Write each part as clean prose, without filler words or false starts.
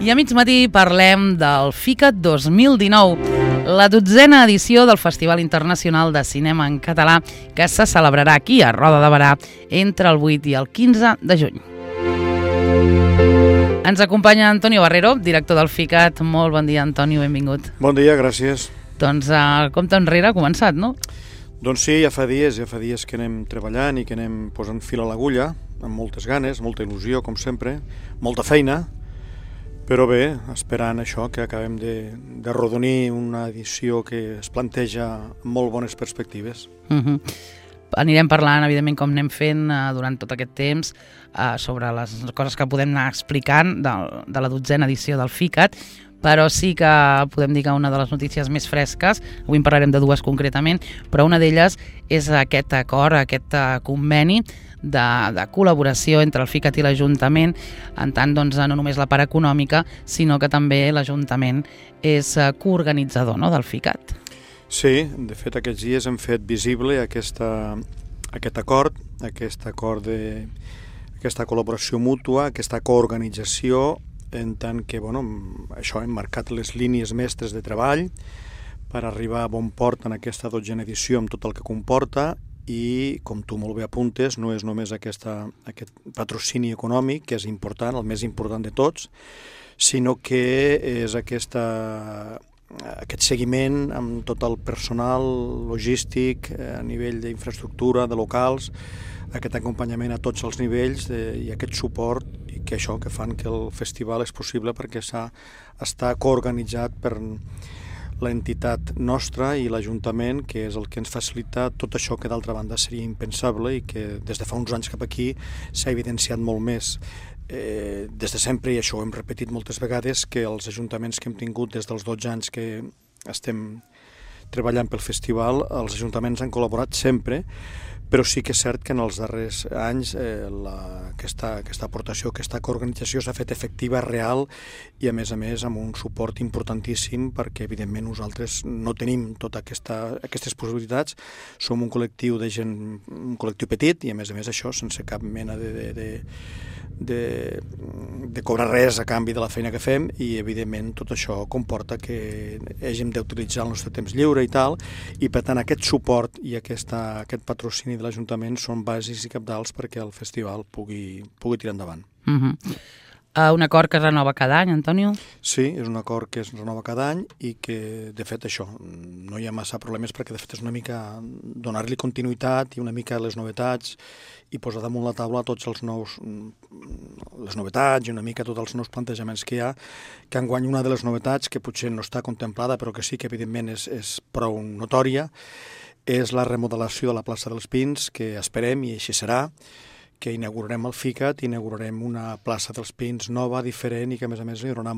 I a mig matí parlem del FICAT 2019, la 12a edició del Festival Internacional de Cinema en Català que se celebrarà aquí a Roda de Berà entre el 8 i el 15 de juny. Ens acompanya Antonio Barrero, director del FICAT. Molt bon dia, Antonio, benvingut. Bon dia, gràcies. Doncs el compte enrere ha començat, no? Doncs sí, ja fa dies que anem treballant i que anem posant fil a l'agulla, amb moltes ganes, molta il·lusió, com sempre, molta feina, però bé, esperant això, que acabem de rodonir una edició que es planteja amb molt bones perspectives. Anirem parlant, evidentment, com anem fent durant tot aquest temps, sobre les coses que podem anar explicant de la 12a edició del FICAT, però sí que podem dir que una de les notícies més fresques, avui en parlarem de dues concretament, però una d'elles és aquest acord, aquest conveni de col·laboració entre el FICAT i l'Ajuntament, en tant doncs, no només la part econòmica, sinó que també l'Ajuntament és coorganitzador, no, del FICAT. Sí, de fet aquests dies hem fet visible aquest acord, aquesta col·laboració mútua, aquesta coorganització, en tant que això hem marcat les línies mestres de treball per arribar a bon port en aquesta 12a edició amb tot el que comporta. I, com tu molt bé apuntes, no és només aquest patrocini econòmic, que és important, el més important de tots, sinó que és aquest seguiment amb tot el personal logístic a nivell d'infraestructura, de locals, aquest acompanyament a tots els nivells i aquest suport i que això que fan que el festival és possible perquè està coorganitzat per l'entitat nostra i l'Ajuntament, que és el que ens facilita tot això que d'altra banda seria impensable i que des de fa uns anys cap aquí s'ha evidenciat molt més. Des de sempre, i això ho hem repetit moltes vegades, que els ajuntaments que hem tingut des dels 12 anys que estem treballant pel festival, els ajuntaments han col·laborat sempre, però sí que és cert que en els darrers anys aquesta aportació, aquesta coorganització s'ha fet efectiva, real i a més amb un suport importantíssim perquè evidentment nosaltres no tenim totes aquestes possibilitats, som un col·lectiu de gent, un col·lectiu petit i a més això sense cap mena de cobrar res a canvi de la feina que fem i evidentment tot això comporta que hàgim d'utilitzar el nostre temps lliure i tal, i per tant aquest suport i aquest patrocini de l'Ajuntament són bàsics i cabdals perquè el festival pugui tirar endavant. Un acord que es renova cada any, Antonio? Sí, és un acord que es renova cada any i que, de fet, això, no hi ha massa problemes perquè, de fet, és una mica donar-li continuïtat i una mica les novetats i posar damunt la taula tots les novetats i una mica tots els nous plantejaments que hi ha, que enguany una de les novetats que potser no està contemplada però que sí que, evidentment, és prou notòria, és la remodelació de la plaça dels Pins, que esperem, i així serà, que inaugurarem el FICAT, inaugurarem una plaça dels Pins nova, diferent, i que a més lluirà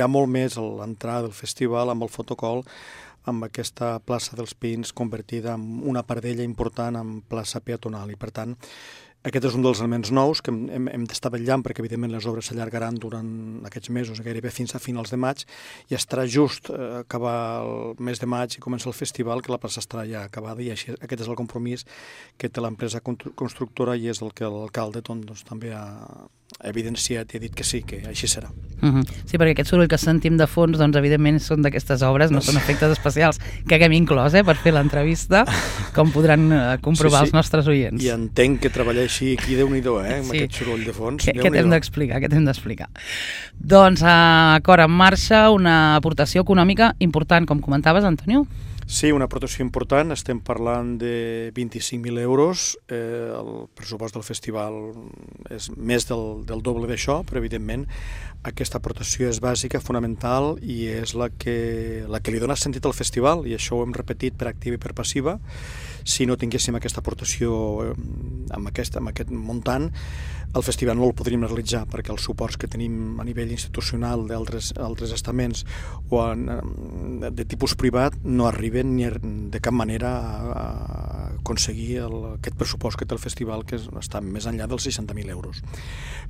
molt més l'entrada del festival amb el fotocol, amb aquesta plaça dels Pins convertida en una pardella important en plaça peatonal. I per tant, aquest és un dels elements nous que hem d'estar vetllant perquè evidentment les obres s'allargaran durant aquests mesos, gairebé fins a finals de maig, i estarà just acabar el mes de maig i comença el festival que la plaça estarà ja acabada, i així aquest és el compromís que té l'empresa constructora i és el que l'alcalde també ha evidenciat i ha dit que sí, que així serà. Sí, perquè aquest soroll que sentim de fons, doncs evidentment són d'aquestes obres, no són efectes especials que haguem inclòs per fer l'entrevista, com podran comprovar els nostres oients. I entenc que treballar així aquí, Déu-n'hi-do, amb aquest soroll de fons. Què t'hem d'explicar? Doncs, acord en marxa, una aportació econòmica important, com comentaves, Antonio? Sí, una aportació important, estem parlant de 25.000 euros, el pressupost del festival és més del doble d'això, però evidentment aquesta aportació és bàsica, fonamental i és la que li dona sentit al festival, i això ho hem repetit per activa i per passiva. Si no tinguéssim aquesta aportació amb aquest muntant, el festival no el podríem realitzar perquè els suports que tenim a nivell institucional d'altres estaments o de tipus privat no arriben ni de cap manera a aconseguir aquest pressupost que té el festival, que està més enllà dels 60.000 euros.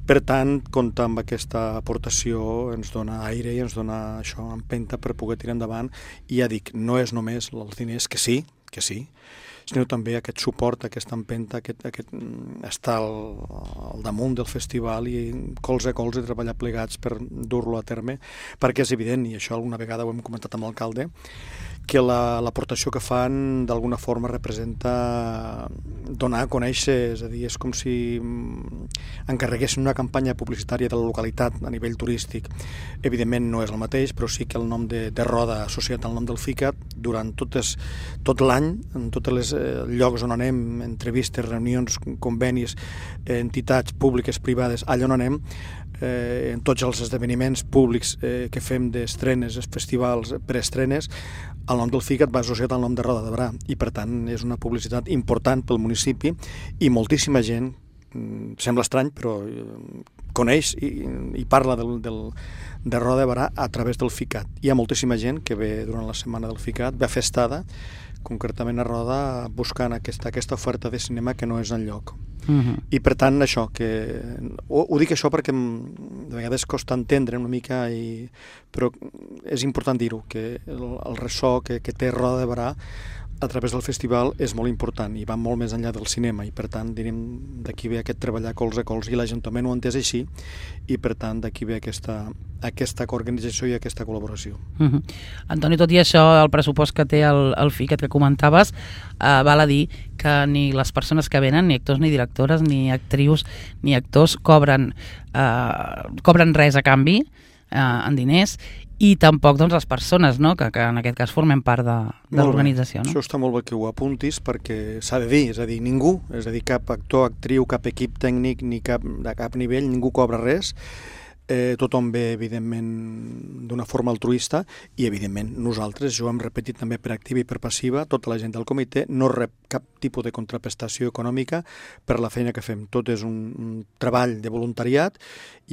Per tant, comptar amb aquesta aportació ens dona aire i ens dona això, empenta per poder tirar endavant, i ja dic, no és només els diners, que sí, sinó també aquest suport, aquesta empenta, aquest estar al damunt del festival i colze a colze treballar plegats per dur-lo a terme, perquè és evident, i això alguna vegada ho hem comentat amb l'alcalde, que l'aportació que fan d'alguna forma representa donar a conèixer, és a dir, és com si encarreguessin una campanya publicitària de la localitat a nivell turístic. Evidentment no és el mateix, però sí que el nom de Roda associat al nom del FICAT durant tot l'any, en tots els llocs on anem, entrevistes, reunions, convenis, entitats públiques, privades, allà on anem, en tots els esdeveniments públics que fem d'estrenes, festivals, preestrenes, el nom del FICAT va associat al nom de Roda de Berà i per tant és una publicitat important pel municipi i moltíssima gent, sembla estrany però coneix i parla de Roda de Berà a través del FICAT. Hi ha moltíssima gent que ve durant la setmana del FICAT, ve a fer estada, concretament a Roda, buscant aquesta oferta de cinema que no és enlloc. I per tant això, ho dic això perquè de vegades costa entendre una mica, però és important dir-ho, que el ressò que té Roda de Berà a través del festival és molt important i va molt més enllà del cinema i per tant diríem d'aquí ve aquest treballar colze a colze i l'Ajuntament ho ha entès així i per tant d'aquí ve aquesta organització i aquesta col·laboració. Antoni, tot i això, el pressupost que té el FICAT que comentaves val a dir que ni les persones que venen, ni actors ni directores, ni actrius ni actors cobren res a canvi en diners i tampoc doncs, les persones, no? que en aquest cas formem part de l'organització. No? Això està molt bé que ho apuntis perquè s'ha de dir, és a dir, ningú, és a dir, cap actor, actriu, cap equip tècnic, ni de cap nivell, ningú cobra res. Tothom ve, evidentment, d'una forma altruista i, evidentment, nosaltres, jo hem repetit també per activa i per passiva, tota la gent del comitè no rep cap tipus de contraprestació econòmica per la feina que fem. Tot és un treball de voluntariat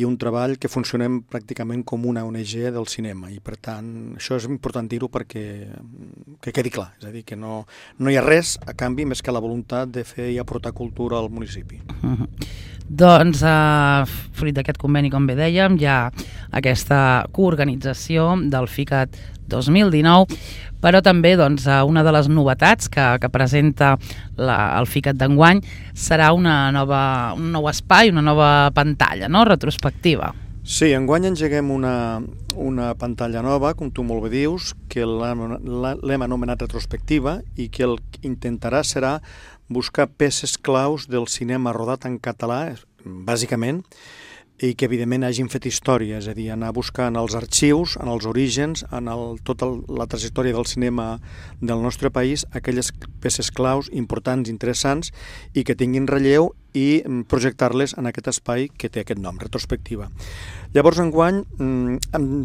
i un treball que funcionem pràcticament com una ONG del cinema i, per tant, això és important dir-ho perquè que quedi clar, és a dir, que no hi ha res a canvi més que la voluntat de fer i aportar cultura al municipi. Doncs, fruit d'aquest conveni, com bé dèiem, hi ha aquesta coorganització del FICAT 2019, però també doncs, una de les novetats que presenta el FICAT d'enguany serà un nou espai, una nova pantalla, no? Retrospectiva. Sí, enguany engeguem una pantalla nova, com tu molt bé dius, que l'hem anomenat retrospectiva i que el que intentarà serà buscar peces claus del cinema rodat en català, bàsicament, i que evidentment hagin fet història, és a dir, anar buscant els arxius, en els orígens, en tota la trajectòria del cinema del nostre país, aquelles peces claus importants, interessants i que tinguin relleu i projectar-les en aquest espai que té aquest nom, retrospectiva. Llavors, enguany,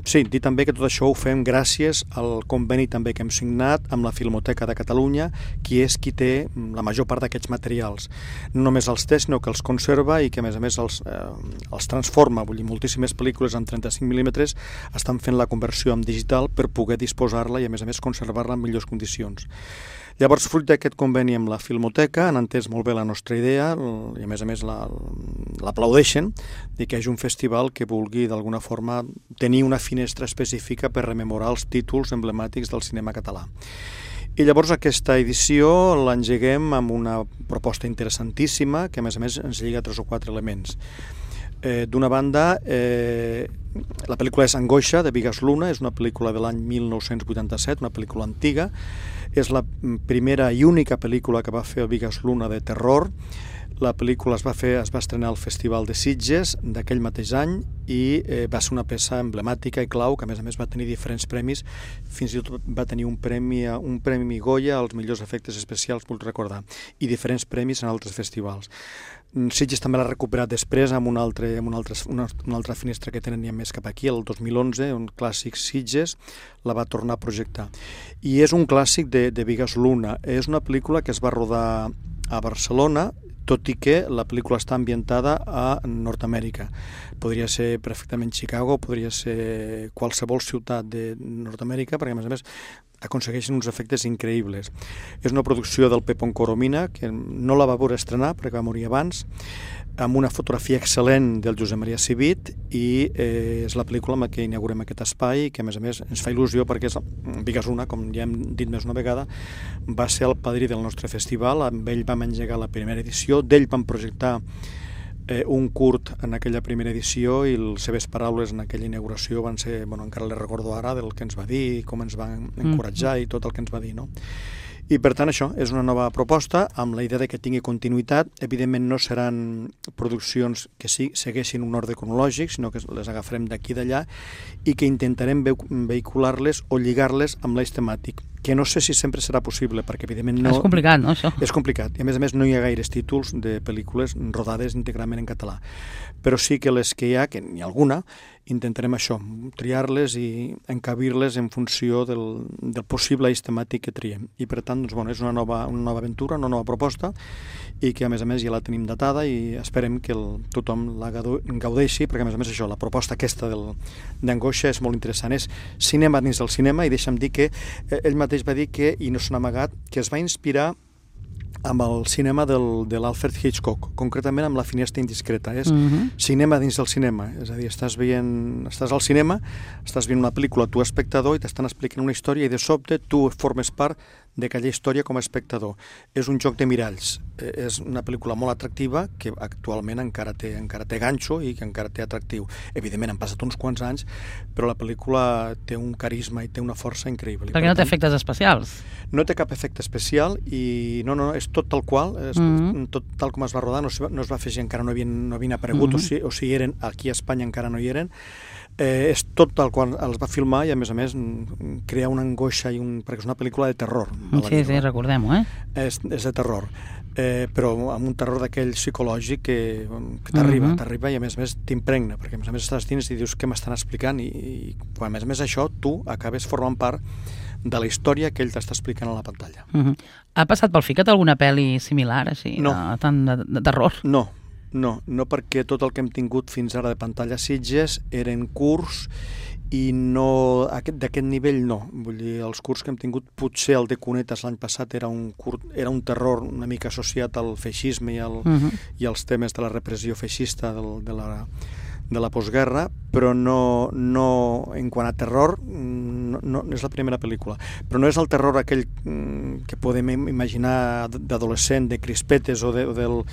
sí, dir també que tot això ho fem gràcies al conveni també que hem signat amb la Filmoteca de Catalunya, qui és qui té la major part d'aquests materials. No només els té, sinó que els conserva i que, a més, els transforma. Vull dir, moltíssimes pel·lícules amb 35 mm estan fent la conversió en digital per poder disposar-la i, a més, conservar-la en millors condicions. Llavors, fruit d'aquest conveni amb la Filmoteca, han entès molt bé la nostra idea i, a més, l'aplaudeixen de que hi hagi un festival que vulgui, d'alguna forma, tenir una finestra específica per rememorar els títols emblemàtics del cinema català. I llavors aquesta edició l'engeguem amb una proposta interessantíssima que, a més, ens lliga 3 o 4 elements. D'una banda, la pel·lícula és Angoixa, de Bigas Luna, és una pel·lícula de l'any 1987, una pel·lícula antiga. És la primera i única pel·lícula que va fer el Bigas Luna de terror. La pel·lícula es va estrenar al Festival de Sitges d'aquell mateix any i va ser una peça emblemàtica i clau que, a més, va tenir diferents premis. Fins i tot va tenir un premi Goya als millors efectes especials, vull recordar, i diferents premis en altres festivals. Sitges també l'ha recuperat després amb una altra finestra que tenen ja més cap aquí, el 2011, un clàssic Sitges, la va tornar a projectar. I és un clàssic de Bigas Luna. És una pel·lícula que es va rodar a Barcelona, tot i que la pel·lícula està ambientada a Nord-Amèrica. Podria ser perfectament Chicago, podria ser qualsevol ciutat de Nord-Amèrica, perquè, a més, aconsegueixen uns efectes increïbles. És una producció del Pepón Coromina, que no la va veure estrenar perquè va morir abans, amb una fotografia excel·lent del Josep Maria Civit, i és la pel·lícula amb què inaugurem aquest espai, que a més ens fa il·lusió perquè Bigasuna, com ja hem dit més una vegada, va ser el padrí del nostre festival. Amb ell vam engegar la primera edició, d'ell vam projectar un curt en aquella primera edició, i les seves paraules en aquella inauguració van ser, encara les recordo ara, del que ens va dir, com ens va encoratjar i tot el que ens va dir, no? I per tant això és una nova proposta amb la idea de que tingui continuïtat. Evidentment no seran produccions que segueixin un ordre cronològic, sinó que les agafarem d'aquí i d'allà i que intentarem vehicular-les o lligar-les amb l'eix temàtic, que no sé si sempre serà possible, perquè evidentment no... És complicat, no, això? És complicat, i a més no hi ha gaires títols de pel·lícules rodades íntegrament en català, però sí que les que hi ha, que n'hi ha alguna, intentarem això, triar-les i encabir-les en funció del possible eix temàtic que triem. I per tant, doncs, és una nova aventura, una nova proposta, i que a més ja la tenim datada i esperem que tothom la gaudeixi, perquè a més això, la proposta aquesta d'Angoixa és molt interessant. És cinema dins del cinema, i deixa'm dir que ell mateix va dir que, i no s'ha amagat, que es va inspirar amb el cinema de l'Alfred Hitchcock, concretament amb La finestra indiscreta. És cinema dins del cinema, és a dir, estàs al cinema, estàs veient una pel·lícula, tu espectador, i t'estan explicant una història, i de sobte tu formes part d'aquella història com a espectador. És un joc de miralls, és una pel·lícula molt atractiva que actualment encara té ganxo i que encara té atractiu. Evidentment han passat uns quants anys, però la pel·lícula té un carisma i té una força increïble. Perquè no té efectes especials. No té cap efecte especial i no, és tot tal qual, tot tal com es va rodar, no es va fer, encara no havien aparegut, o si eren, aquí a Espanya encara no hi eren. És tot tal qual els va filmar, i a més crea una angoixa, perquè és una pel·lícula de terror. Sí, recordem-ho, És de terror, però amb un terror d'aquell psicològic que t'arriba i a més t'impregna, perquè a més estàs dins i dius què m'estan explicant, i quan a més això tu acabes formant part de la història que ell t'està explicant a la pantalla. Ha passat pel FICAT alguna pel·li similar, així, tant de terror? No, perquè tot el que hem tingut fins ara de pantalla Sitges eren curts, i no d'aquest nivell no. Vull dir, els curts que hem tingut, potser el de Cunetes l'any passat era un terror una mica associat al feixisme i als temes de la repressió feixista de la postguerra, però no en quant a terror no és la primera pel·lícula, però no és el terror aquell que podem imaginar d'adolescent, de crispetes o del...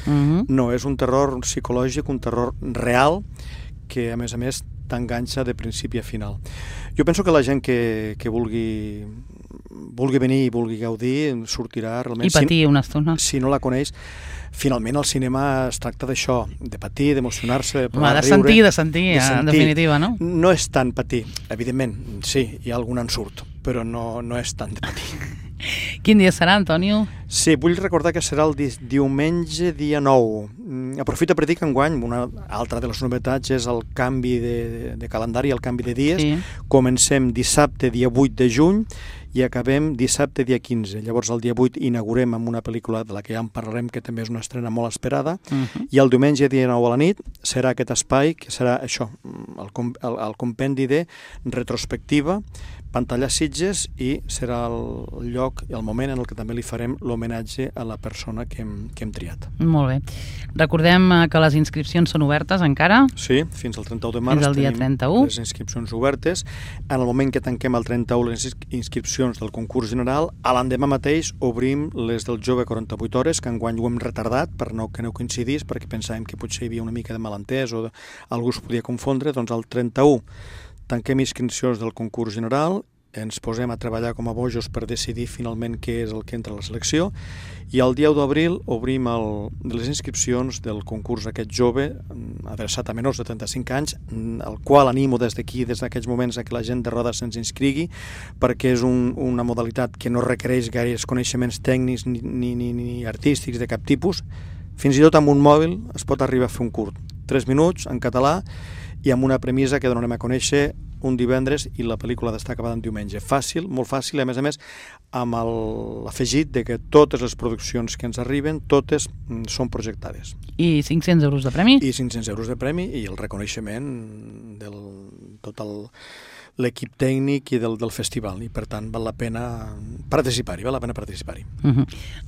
No, és un terror psicològic, un terror real que a més t'enganxa de principi a final. Jo penso que la gent que vulgui venir i vulgui gaudir sortirà realment... I patir una estona. Si no la coneix, finalment el cinema es tracta d'això, de patir, d'emocionar-se, de poder riure... De sentir, en definitiva, no? No és tant patir, evidentment, sí, hi ha algun ensurt, però no és tant de patir. Quin dia serà, Antonio? Sí, vull recordar que serà el diumenge, dia 9. Aprofito per dir que enguany una altra de les novetats és el canvi de calendari, el canvi de dies. Sí. Comencem dissabte, dia 8 de juny, i acabem dissabte, dia 15. Llavors, el dia 8 inaugurem amb una pel·lícula de la que ja en parlarem, que també és una estrena molt esperada, i el diumenge, dia 9 a la nit, serà aquest espai, que serà això, el compendi de retrospectiva, pantalla Sitges, i serà el lloc i el moment en el que també li farem l'homenatge a la persona que hem triat. Molt bé. Recordem que les inscripcions són obertes encara? Sí, fins al 31 de març. Fins al dia 31. Les inscripcions obertes. En el moment que tanquem el 31 les inscripcions del concurs general, a l'endemà mateix obrim les del Jove 48 hores, que enguany ho hem retardat que no coincidís, perquè pensàvem que potser hi havia una mica de malentès o algú es podia confondre. Doncs el 31 tanquem inscripcions del concurs general, ens posem a treballar com a bojos per decidir finalment què és el que entra a la selecció, i el dia 1 d'abril obrim les inscripcions del concurs aquest jove, adreçat a menors de 35 anys, el qual animo des d'aquí, des d'aquests moments, a que la gent de Roda se'ns inscrigui, perquè és una modalitat que no requereix gaires coneixements tècnics ni artístics de cap tipus. Fins i tot amb un mòbil es pot arribar a fer un curt, 3 minuts, en català, i amb una premissa que donarem a conèixer un divendres i la pel·lícula d'estar acabada en diumenge. Fàcil, molt fàcil, i a més amb l'afegit de que totes les produccions que ens arriben, totes són projectades. I 500 euros de premi? I 500 euros de premi, i el reconeixement de l'equip tècnic i del festival, i per tant val la pena participar-hi,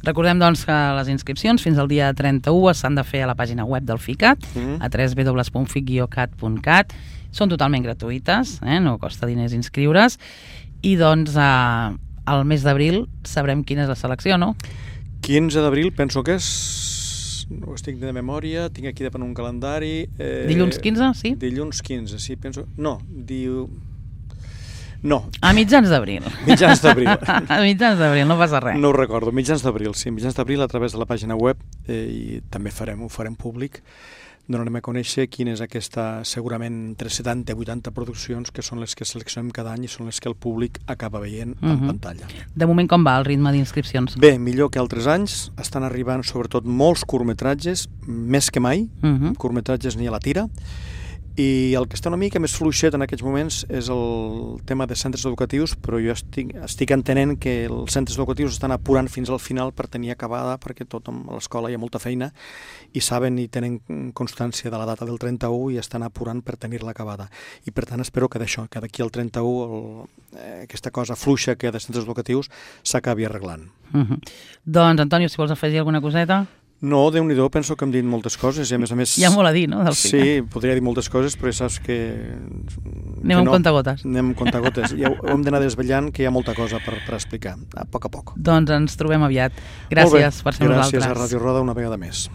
Recordem doncs que les inscripcions fins al dia 31 s'han de fer a la pàgina web del FICAT, a www.fic-cat.cat. Són totalment gratuïtes, no costa diners inscriure's, i doncs al mes d'abril sabrem quina és la selecció, no? 15 d'abril penso que és, no ho estic de memòria, tinc aquí de un calendari. Dilluns 15, sí? Dilluns 15, sí, penso... No. A mitjans d'abril. Mitjans d'abril. A mitjans d'abril, no passa res. No ho recordo, mitjans d'abril, sí, mitjans d'abril a través de la pàgina web, i també ho farem públic. Donarem a conèixer quina és aquesta, segurament entre 70 i 80 produccions que són les que seleccionem cada any i són les que el públic acaba veient en pantalla. De moment com va el ritme d'inscripcions? Bé, millor que altres anys. Estan arribant sobretot molts curtmetratges, més que mai, curtmetratges n'hi ha la tira, i el que està una mica més fluixet en aquests moments és el tema de centres educatius, però jo estic entenent que els centres educatius estan apurant fins al final per tenir acabada, perquè a l'escola hi ha molta feina i saben i tenen constància de la data del 31 i estan apurant per tenir-la acabada. I per tant espero que d'això, que d'aquí al 31 aquesta cosa fluixa que hi ha de centres educatius s'acabi arreglant. Doncs, Antonio, si vols afegir alguna coseta? No, Déu-n'hi-do, penso que hem dit moltes coses i a més... Hi ha molt a dir, no? Sí, podria dir moltes coses, però ja saps que... Anem amb comptagotes. Anem amb comptagotes. I hem d'anar desvetllant que hi ha molta cosa per explicar, a poc a poc. Doncs ens trobem aviat. Gràcies per ser nosaltres. Gràcies a Ràdio Roda una vegada més.